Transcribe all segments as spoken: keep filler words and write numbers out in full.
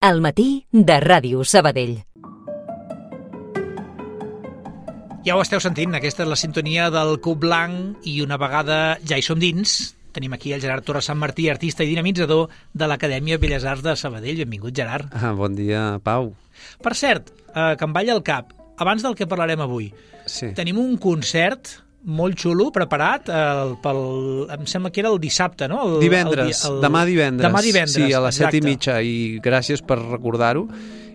Al matí de Ràdio Sabadell. Ja ho esteu sentint, aquesta és la sintonia del Cub Blanc i una vegada ja hi som dins, tenim aquí el Gerard Torres Sant Martí, artista i dinamitzador de l'Acadèmia Belles Arts de Sabadell. Benvingut, Gerard. Ah, bon dia, Pau. Per cert, eh, que em balla el cap, abans del que parlarem avui, sí. Tenim un concert molt xulo preparat el, pel, em sembla que era el dissabte, no? El, divendres, el, el, demà divendres. Demà divendres, sí, a les exacte. set i mitja, i gràcies per recordar-ho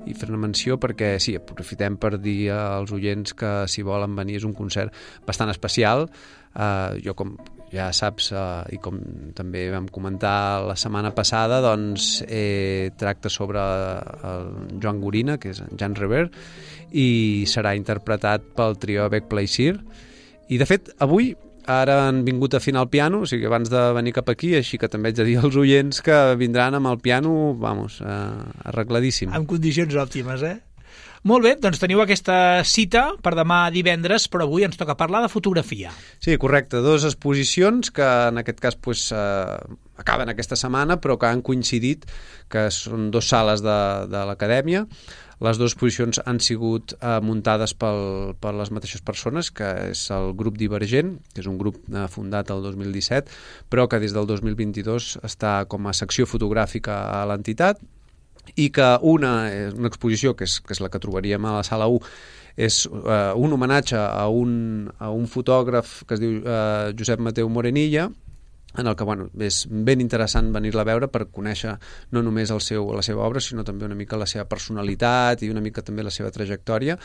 i fer-ne menció perquè sí, aprofitem per dir als oients que si volen venir és un concert bastant especial. Uh, jo com ja saps uh, i com també vam comentar la setmana passada, doncs eh, tracta sobre el Joan Gorina, que és en Jan Rever, i serà interpretat pel trio Bec Plaisir. I de fet avui ara han vingut a afinar el piano, o sigui, abans de venir cap aquí, així que també haig de dir als oients que vindran amb el piano, vamos, eh, arregladíssim. En condicions òptimes, eh? Molt bé, doncs teniu aquesta cita per demà divendres, però avui ens toca parlar de fotografia. Sí, correcte, dues exposicions que en aquest cas pues, eh, acaben aquesta setmana, però que han coincidit, que són dues sales de, de l'Acadèmia. Les dues exposicions han sigut eh, muntades pel, per les mateixes persones, que és el grup Divergent, que és un grup eh, fundat el dos mil disset, però que des del dos mil vint-i-dos està com a secció fotogràfica a l'entitat, i que una, una exposició, que és, que és la que trobaríem a la sala u, és eh, un homenatge a un, a un fotògraf que es diu eh, Josep Mateu Morenilla, en el que bueno, és ben interessant venir-la a veure per conèixer no només el seu, la seva obra, sinó també una mica la seva personalitat i una mica també la seva trajectòria.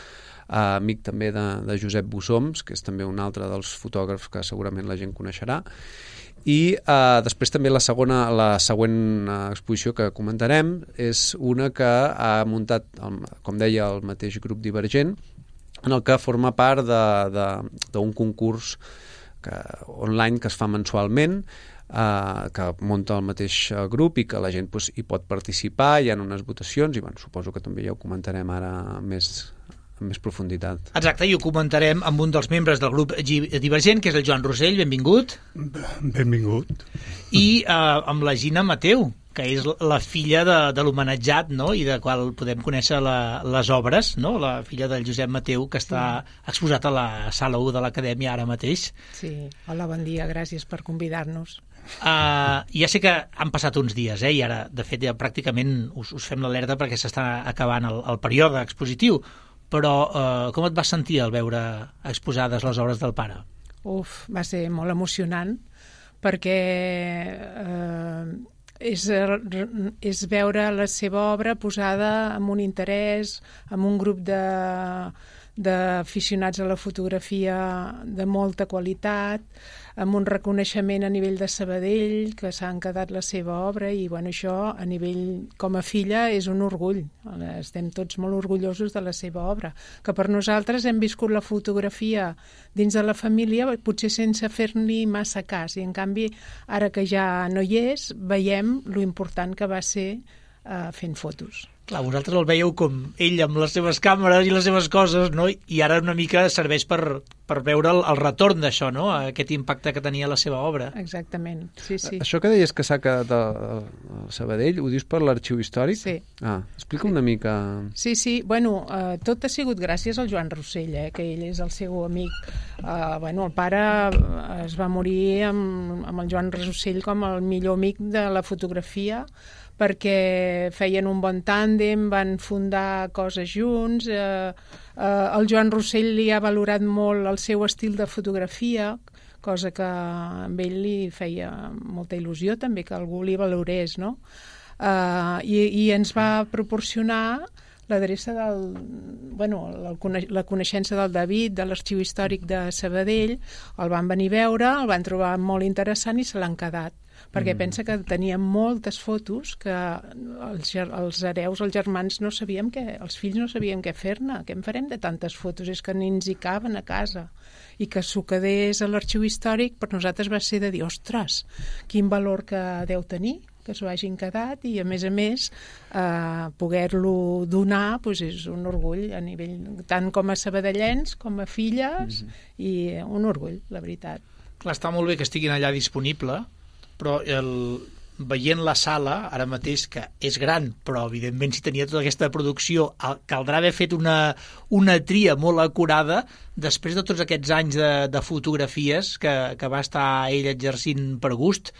Uh, amic també de, de Josep Bussoms, que és també un altre dels fotògrafs que segurament la gent coneixerà. I uh, després també la segona, la següent uh, exposició que comentarem és una que ha muntat, el, com deia, el mateix grup Divergent, en el que forma part d'un concurs que, online que es fa mensualment, eh, que munta el mateix grup i que la gent pues, hi pot participar, hi ha unes votacions i bueno, suposo que també ja ho comentarem ara més, amb més profunditat. Exacte, i ho comentarem amb un dels membres del grup Divergent, que és el Joan Rosell. Benvingut. Benvingut. I eh, amb la Gina Mateu, que és la filla de, de l'homenatjat, no? I de qual podem conèixer la, les obres, no? La filla del Josep Mateu, que està exposat a la sala u de l'Acadèmia ara mateix. Sí, hola, bon dia, gràcies per convidar-nos. Uh, ja sé que han passat uns dies, eh? I ara, de fet, ja pràcticament us, us fem l'alerta perquè s'està acabant el, el període expositiu, però uh, com et vas sentir al veure exposades les obres del pare? Uf, va ser molt emocionant, perquè eh, és, és veure la seva obra posada amb un interès, amb un grup de d'aficionats a la fotografia de molta qualitat, amb un reconeixement a nivell de Sabadell, que s'han quedat la seva obra, i bueno, això a nivell com a filla és un orgull. Estem tots molt orgullosos de la seva obra, que per nosaltres hem viscut la fotografia dins de la família, potser sense fer-li massa cas, i en canvi, ara que ja no hi és, veiem lo important que va ser eh, fent fotos. Clar, vosaltres el veieu com ell amb les seves càmeres i les seves coses, no? I ara una mica serveix per, per veure el, el retorn d'això, no? Aquest impacte que tenia la seva obra. Exactament, sí, sí. Això que deies que s'ha quedat al Sabadell, ho dius per l'arxiu històric? Sí. Ah, explica una mica... Sí, sí, bueno, eh, tot ha sigut gràcies al Joan Rosell, eh, que ell és el seu amic. Eh, bueno, el pare es va morir amb, amb el Joan Rosell com el millor amic de la fotografia, perquè feien un bon tàndem, van fundar coses junts. Eh, eh, el Joan Rosell li ha valorat molt el seu estil de fotografia, cosa que a ell li feia molta il·lusió també, que algú li valorés, no? Eh, i, I ens va proporcionar l'adreça del... Bueno, la, la coneixença del David, de l'Arxiu Històric de Sabadell. El van venir a veure, el van trobar molt interessant i se l'han quedat, perquè mm. pensa que tenia moltes fotos que els, els hereus, els germans no sabíem què, els fills no sabíem què fer-ne, què en farem de tantes fotos, és que ni ens hi caben a casa, i que s'ho quedés a l'Arxiu Històric per nosaltres va ser de dir, ostres, quin valor que deu tenir, que s'ho hagin quedat, i a més a més eh, poder-lo donar doncs és un orgull a nivell, tant com a sabadellens com a filles, mm-hmm. i un orgull, la veritat. Clar, està molt bé que estiguin allà disponible, però el, veient la sala, ara mateix, que és gran, però evidentment si tenia tota aquesta producció, caldrà haver fet una, una tria molt acurada després de tots aquests anys de, de fotografies que, que va estar ell exercint per gust.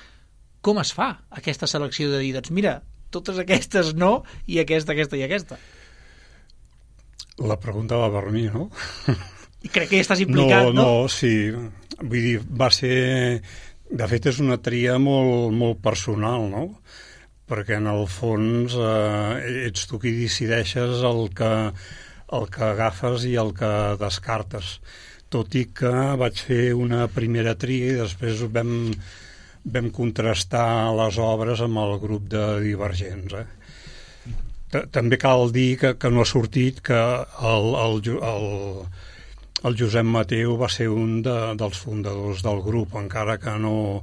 Com es fa aquesta selecció de dir, doncs mira, totes aquestes no, i aquesta, aquesta i aquesta? La pregunta va per mi, no? I crec que ja estàs implicat, no? No, no, sí. Vull dir, va ser... De fet, és una tria molt, molt personal, no? Perquè, en el fons, eh, ets tu qui decideixes el que, el que agafes i el que descartes. Tot i que vaig fer una primera tria i després vam, vam contrastar les obres amb el grup de divergents, eh? També cal dir que, que no ha sortit que el, el, el, el Josep Mateu va ser un de, dels fundadors del grup, encara que no,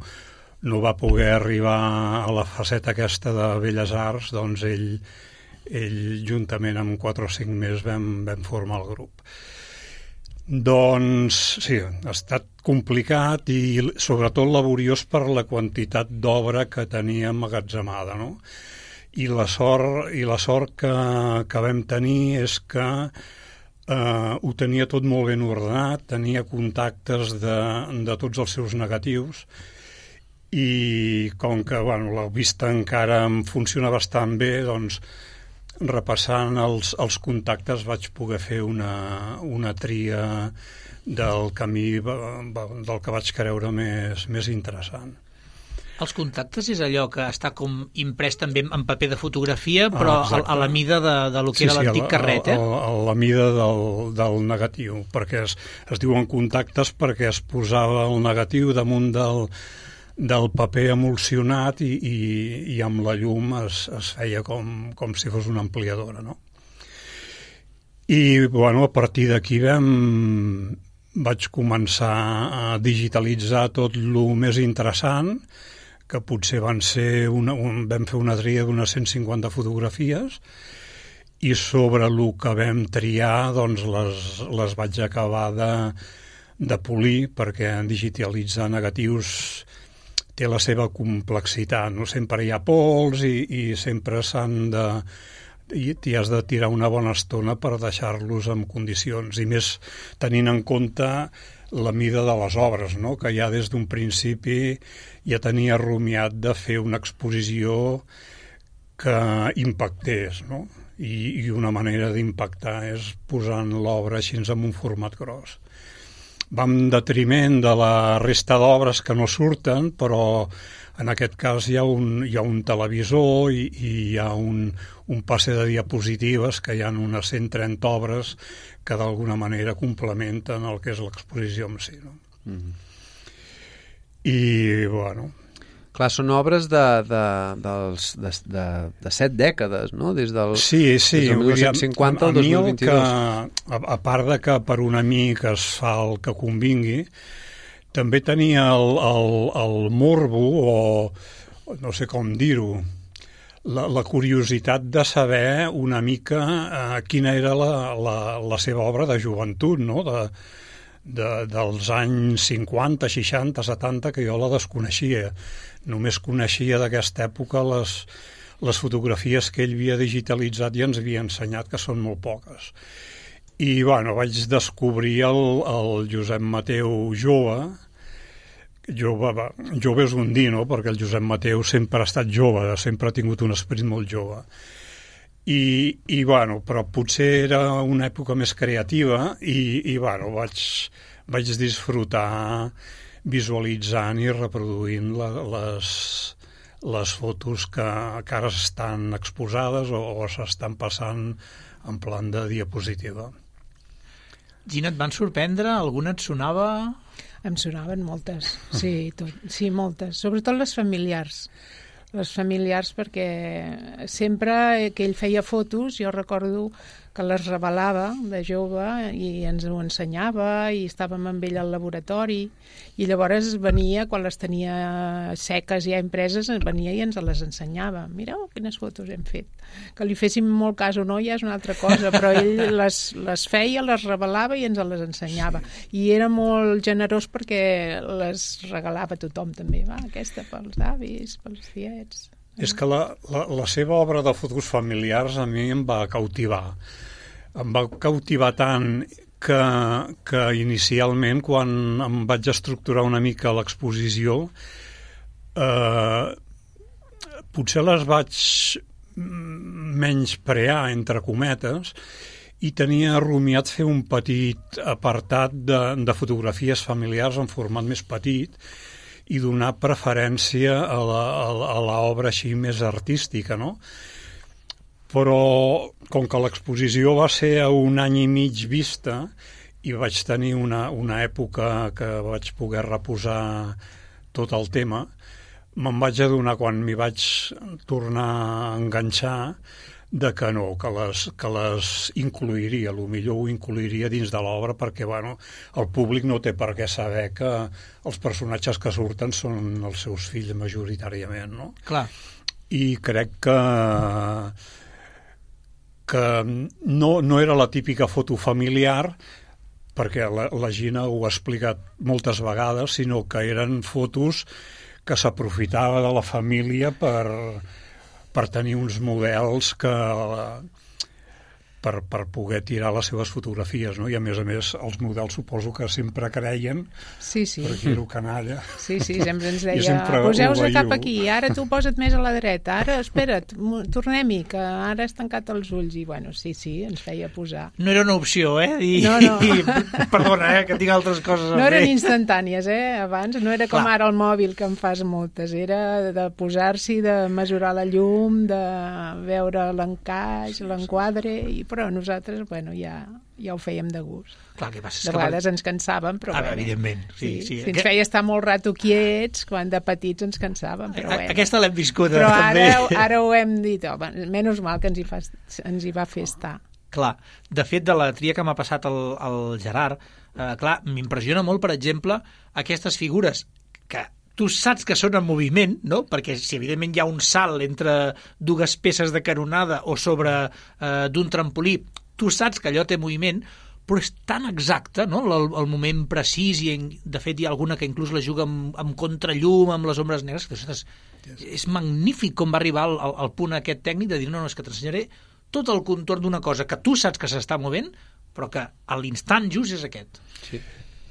no va poder arribar a la faceta aquesta de Belles Arts, doncs ell, ell juntament amb quatre o cinc més vam, vam formar el grup. Doncs sí, ha estat complicat i sobretot laboriós per la quantitat d'obra que tenia emmagatzemada, no? I la sort, i la sort que, que vam tenir és que eh, ho tenia tot molt ben ordenat, tenia contactes de, de tots els seus negatius i com que bueno, la vista encara em funciona bastant bé, doncs repassant els, els contactes vaig poder fer una, una tria del camí del que vaig creure més, més interessant. Els contactes és allò que està com imprès també en paper de fotografia, però ah, a, a la mida de, de lo que sí, era l'antic sí, carret, eh? A, a, a la mida del, del negatiu, perquè es, es diuen contactes perquè es posava el negatiu damunt del, del paper emulsionat i, i, i amb la llum es, es feia com, com si fos una ampliadora, no? I, bueno, a partir d'aquí vam... vaig començar a digitalitzar tot el més interessant, que potser van ser una, un, vam fer una tria d'unes cent cinquanta fotografies i sobre el que vam triar doncs les, les vaig acabar de, de polir perquè digitalitzar negatius té la seva complexitat, no? Sempre hi ha pols i, i sempre s'han de... i t'hi has de tirar una bona estona per deixar-los en condicions i més tenint en compte la mida de les obres, no? Que ja des d'un principi ja tenia rumiat de fer una exposició que impactés, no? I, i una manera d'impactar és posant l'obra així en un format gros. Va en detriment de la resta d'obres que no surten, però en aquest cas hi ha un, hi ha un televisor i, i hi ha un, un passe de diapositives que hi ha unes cent trenta obres que d'alguna manera complementen el que és l'exposició en si, no? Mm-hmm. I, bueno... Clar, són obres de, de, dels, de, de, de set dècades, no? Des del, sí, sí, des del mil nou-cents cinquanta al dos mil vint-i-dos. Que, a, a part de que per un amic es fa el que convingui, també tenia el, el, el morbo, o no sé com dir-ho, la, la curiositat de saber una mica eh, quina era la, la, la seva obra de joventut, no? De, de, dels anys cinquanta, seixanta, setanta, que jo la desconeixia. Només coneixia d'aquesta època les, les fotografies que ell havia digitalitzat i ens havia ensenyat, que són molt poques. I, bueno, vaig descobrir el, el Josep Mateu jove. Jove, jove és un dir, no? Perquè el Josep Mateu sempre ha estat jove, sempre ha tingut un esperit molt jove. I, i bueno, però potser era una època més creativa i, i bueno, vaig, vaig disfrutar visualitzant i reproduint la, les, les fotos que, que ara estan exposades o, o s'estan passant en plan de diapositiva. Gina, et van sorprendre? Alguna et sonava? Em sonaven moltes, sí, tot, sí, moltes. Sobretot les familiars. Les familiars perquè sempre que ell feia fotos, jo recordo que les revelava de jove i ens ho ensenyava i estàvem amb ell al laboratori i llavors venia, quan les tenia seques ja impreses, venia i ens les ensenyava. Mireu quines fotos hem fet. Que li féssim molt cas o no ja és una altra cosa, però ell les, les feia, les revelava i ens les ensenyava. I era molt generós perquè les regalava a tothom també. Va, aquesta pels avis, pels tiets... És que la, la, la seva obra de fotos familiars a mi em va cautivar. Em va cautivar tant que, que inicialment, quan em vaig estructurar una mica l'exposició, eh, potser les vaig menysprear, entre cometes, i tenia rumiat fer un petit apartat de, de fotografies familiars en format més petit, i donar preferència a l'obra així més artística, no? Però, com que l'exposició va ser a un any i mig vista i vaig tenir una, una època que vaig poder reposar tot el tema, me'n vaig adonar, quan m'hi vaig tornar a enganxar, de que no, que les, que les incluiria, el millor ho incluiria dins de l'obra, perquè bueno, el públic no té per què saber que els personatges que surten són els seus fills majoritàriament, no? Clar. I crec que que no, no era la típica foto familiar, perquè la, la Gina ho ha explicat moltes vegades, sinó que eren fotos que s'aprofitava de la família per per tenir uns models que per, per poder tirar les seves fotografies, no? I a més a més els models suposo que sempre creien, sí, sí. perquè era canalla. Sí, sí, sempre ens deia, poseu-se cap aquí, ara tu posa't més a la dreta, ara espera't, tornem-hi, que ara has tancat els ulls, i bueno, sí, sí, ens feia posar. No era una opció, eh? I, no, no. I, perdona, eh, que tinc altres coses a no fer. eren instantànies, eh? Abans no era com Clar. Ara el mòbil, que en fas moltes, era de posar-s'hi, de mesurar la llum, de veure l'encaix, l'enquadre, i però nosaltres, bueno, ja, ja ho fèiem de gust. Clar, que passa, de vegades ens cansàvem, però ah, bueno. Evidentment, sí. sí, sí. sí. Si ens feia estar molt rato quiets, quan de petits ens cansàvem, però bueno. Aquesta l'hem viscuda, però també. Però ara, ara ho hem dit, oh, menys mal que ens hi, fa, ens hi va fer estar. Clar, de fet, de la tria que m'ha passat el, el Gerard, eh, clar, m'impressiona molt, per exemple, aquestes figures que tu saps que són en moviment, no? Perquè si evidentment hi ha un salt entre dues peces de canonada o sobre eh, d'un trampolí, tu saps que allò té moviment, però és tan exacte, no? El, el moment precís, i en, de fet hi ha alguna que inclús la juga amb, amb contrallum, amb les ombres negres, que ostres, és magnífic com va arribar al, al, al punt aquest tècnic de dir, no, no, és que t'ensenyaré tot el contorn d'una cosa que tu saps que s'està movent, però que a l'instant just és aquest. Sí.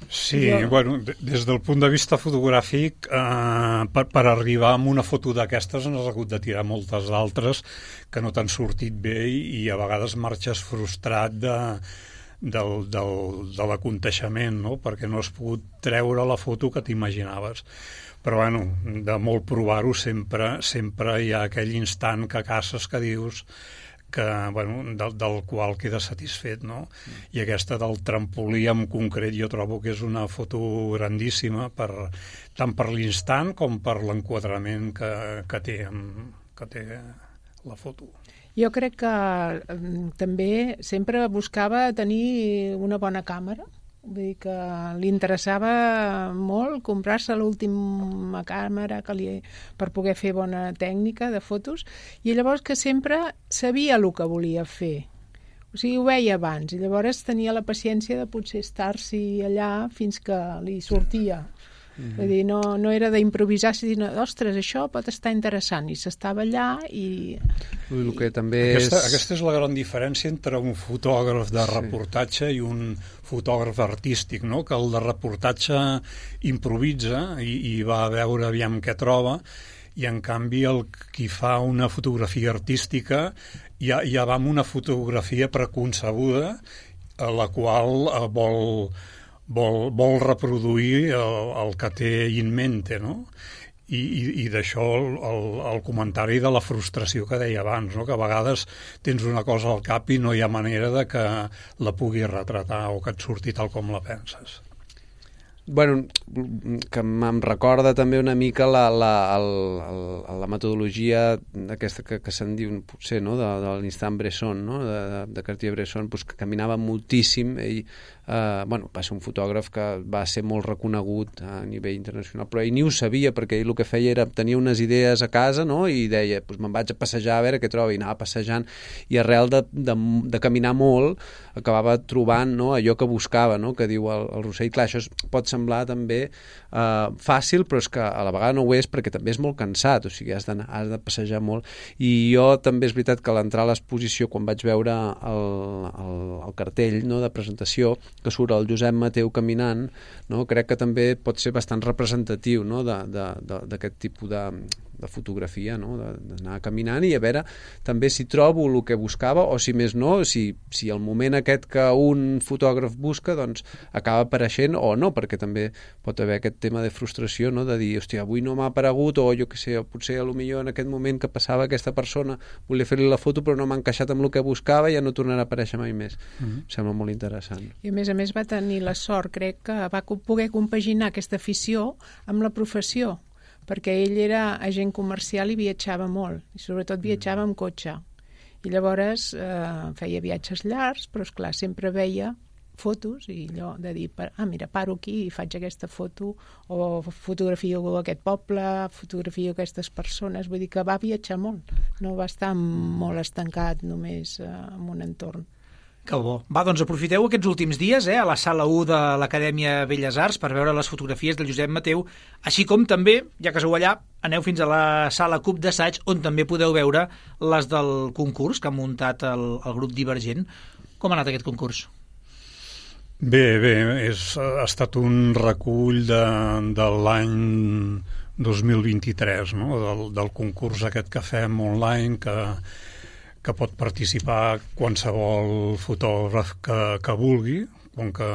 Sí, jo... bueno, des del punt de vista fotogràfic, eh, per, per arribar a una foto d'aquestes n'has hagut de tirar moltes d'altres que no t'han sortit bé i, i a vegades marxes frustrat de, del, del, de l'aconteixement, no? Perquè no has pogut treure la foto que t'imaginaves. Però, bueno, de molt provar-ho sempre, sempre hi ha aquell instant que caces que dius que, bueno, del, del qual queda satisfet, no? Mm. I aquesta del trampolí en concret jo trobo que és una foto grandíssima, per, tant per l'instant com per l'enquadrament que, que, té, que té la foto. Jo crec que eh, també sempre buscava tenir una bona càmera. Vull dir que li interessava molt comprar-se l'última càmera que li, per poder fer bona tècnica de fotos, i llavors que sempre sabia el que volia fer. O sigui, ho veia abans, i llavors tenia la paciència de potser estar-s'hi allà fins que li sortia. Mm-hmm. Vull dir, no, no era d'improvisar, sinó, ostres, això pot estar interessant, i s'estava allà i... El que també aquesta, és... aquesta és la gran diferència entre un fotògraf de reportatge sí. i un fotògraf artístic, no? Que el de reportatge improvisa i, i va a veure aviam què troba, i en canvi el qui fa una fotografia artística ja, ja va amb una fotografia preconcebuda a la qual eh, vol... Vol, vol reproduir el, el que té in mente, no? I, i, i d'això el, el, el comentari de la frustració que deia abans, no? Que a vegades tens una cosa al cap i no hi ha manera de que la puguis retratar o que et surti tal com la penses. bueno, que em recorda també una mica la, la, el, el, la metodologia aquesta que, que se'n diu, potser, no? de, de l'instant Bresson, no? de, de, de Cartier-Bresson, pues, que caminava moltíssim. Ell, eh, bueno, va ser un fotògraf que va ser molt reconegut a nivell internacional, però ell ni ho sabia, perquè ell el que feia era tenia unes idees a casa, no? I deia, pues, me'n vaig a passejar a veure què trobo, i anava passejant, i arrel de, de, de caminar molt acabava trobant, no? allò que buscava, no? que diu el, el Rossell. Clar, això pot semblar també eh, fàcil, però és que a la vegada no ho és, perquè també és molt cansat, o sigui, has de, has de passejar molt. I jo també és veritat que a l'entrar a l'exposició, quan vaig veure el, el, el cartell, no? de presentació, que surt el Josep Mateu caminant, no? crec que també pot ser bastant representatiu, no? d'aquest tipus de, de fotografia, no? d'anar caminant i a veure també si trobo el que buscava, o si més no, si, si el moment aquest que un fotògraf busca doncs acaba apareixent o no, perquè també pot haver aquest tema de frustració, no? de dir, hòstia, avui no m'ha aparegut, o jo què sé, potser a lo millor en aquest moment que passava aquesta persona volia fer-li la foto però no m'ha encaixat amb el que buscava i ja no tornarà a aparèixer mai més. Mm-hmm. Em sembla molt interessant. I a més a més va tenir la sort, crec, que va poder compaginar aquesta afició amb la professió, perquè ell era agent comercial i viatjava molt, i sobretot viatjava amb cotxe. I llavors eh, feia viatges llargs, però esclar, sempre veia fotos i allò de dir, ah, mira, paro aquí i faig aquesta foto, o fotografio aquest poble, fotografio aquestes persones, vull dir que va viatjar molt, no va estar molt estancat només eh, en un entorn. Que bo. Va, doncs aprofiteu aquests últims dies eh, a la sala u de l'Acadèmia Belles Arts per veure les fotografies del Josep Mateu, així com també, ja que sou allà, aneu fins a la sala Cub d'Assaig, on també podeu veure les del concurs que ha muntat el, el grup Divergent. Com ha anat aquest concurs? Bé, bé, és, ha estat un recull de, de l'any dos mil vint-i-tres, no? del, del concurs aquest que fem online, que que pot participar qualsevol fotògraf que, que vulgui, com que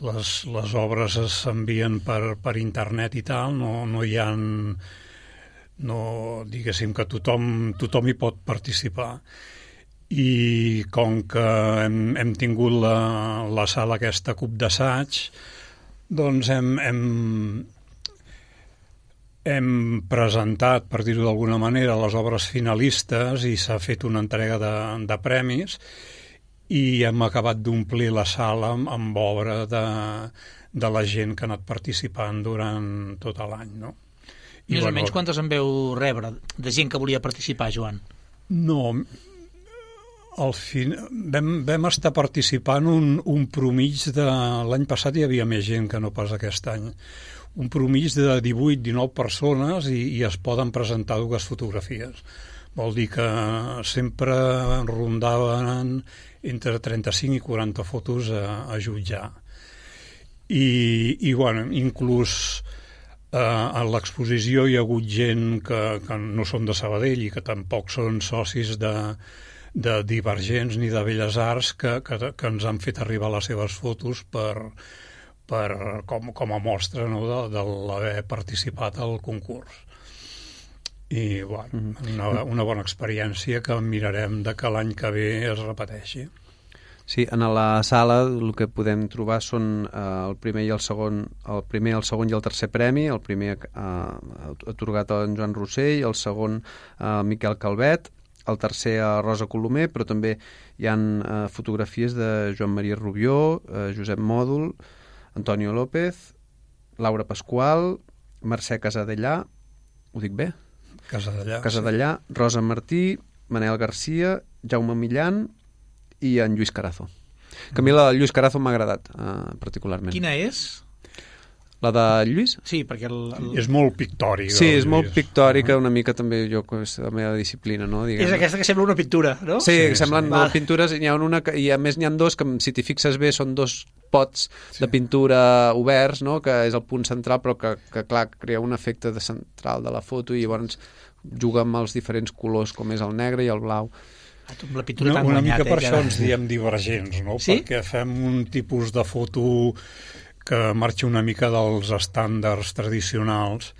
les, les obres s'envien per, per internet i tal, no, no hi ha, no, diguéssim que tothom, tothom hi pot participar. I com que hem, hem tingut la, la sala aquesta Cub d'Assaig, doncs hem, hem Hem presentat, per dir-ho d'alguna manera, les obres finalistes i s'ha fet una entrega de, de premis i hem acabat d'omplir la sala amb, amb obra de, de la gent que ha anat participant durant tot l'any, no? I, Més bueno, o menys quantes en veu rebre de gent que volia participar, Joan? No, al fin, vam, vam estar participant un, un promig de... L'any passat hi havia més gent que no pas aquest any. Un promig de divuit dinou persones i, i es poden presentar dues fotografies. Vol dir que sempre rondaven entre trenta-cinc i quaranta fotos a, a jutjar. I, i bueno, inclús eh, a l'exposició hi ha hagut gent que, que no són de Sabadell i que tampoc són socis de, de Divergents ni de Belles Arts que, que, que ens han fet arribar les seves fotos per... Per, com, com a mostra, no, de, de l'haver participat al concurs. I bueno, una, una bona experiència que mirarem de que l'any que ve es repeteixi. Sí, en la sala el que podem trobar són eh, el primer i el segon, el primer, el segon i el tercer premi. El primer eh, atorgat a en Joan Rossell, el segon a eh, Miquel Calvet, el tercer a Rosa Colomer, però també hi ha eh, fotografies de Joan Maria Rubió, eh, Josep Mòdol, Antonio López, Laura Pasqual, Mercè Casadellà, ho dic bé? Casadellà. Casadellà, sí. Rosa Martí, Manel Garcia, Jaume Millan i en Lluís Carazo. Que a mi la Lluís Carazo m'ha agradat uh, particularment. Quina és? La de Lluís? Sí, perquè... El, el... És molt pictòrica. Sí, és molt pictòrica, una mica també jo, és la meva disciplina, no? Diguem. És aquesta que sembla una pintura, no? Sí, sí, que semblen sí. pintures, i, hi ha una, i a més n'hi ha dos que, si t'hi fixes bé, són dos pots sí. de pintura oberts, no? Que és el punt central, però que, que clar, crea un efecte de central de la foto i llavors juga amb els diferents colors, com és el negre i el blau. La pintura una, tan una guanyat, mica per eh, això que... ens diem divergents, no? Sí? Perquè fem un tipus de foto que marxa una mica dels estàndards tradicionals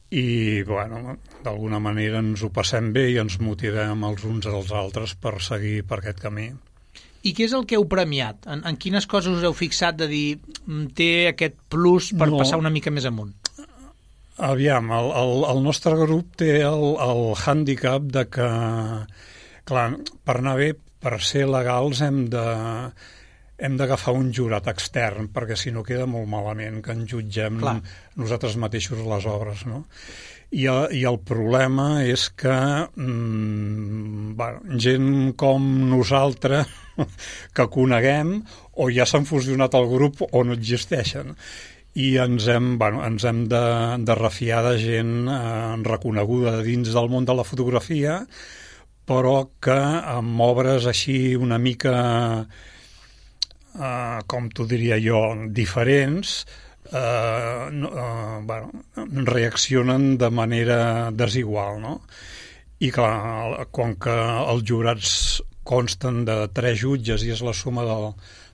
i, bueno, d'alguna manera ens ho passem bé i ens motivem els uns als altres per seguir per aquest camí. I què és el que heu premiat? En, en quines coses us heu fixat de dir té aquest plus per no. passar una mica més amunt? Aviam, el, el, el nostre grup té el, el hàndicap de que, clar, per anar bé, per ser legals hem de hem d'agafar un jurat extern, perquè si no queda molt malament que en jutgem Clar. nosaltres mateixos les obres, no? I, i el problema és que mmm, bueno, gent com nosaltres que coneguem o ja s'han fusionat al grup o no existeixen. I ens hem, bueno, ens hem de, de refiar de gent eh, reconeguda dins del món de la fotografia, però que amb obres així una mica, eh, com t'ho diria jo, diferents, eh, no, eh, bueno, reaccionen de manera desigual, no? I clar, com que els jurats consten de tres jutges i és la suma del,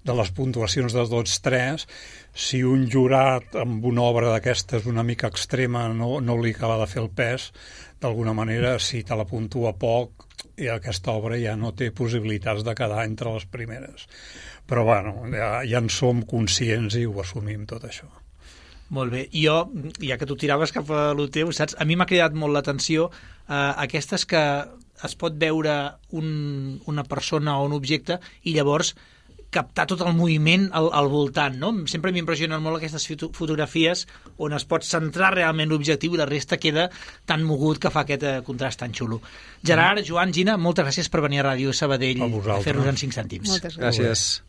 de les puntuacions de tots tres, si un jurat amb una obra d'aquestes una mica extrema no, no li acaba de fer el pes, d'alguna manera, si te la puntua poc, i aquesta obra ja no té possibilitats de quedar entre les primeres. Però, bueno, ja, ja en som conscients i ho assumim, tot això. Molt bé. Jo, ja que tu tiraves cap a lo teu, saps? A mi m'ha cridat molt l'atenció eh, aquestes que es pot veure un, una persona o un objecte i llavors captar tot el moviment al, al voltant, no? Sempre m'impressionen molt aquestes fotografies on es pot centrar realment l'objectiu i la resta queda tan mogut que fa aquest eh, contrast tan xulo. Gerard, Joan, Gina, moltes gràcies per venir a Ràdio Sabadell a, a fer-nos en cinc cèntims. Moltes gràcies. Gràcies.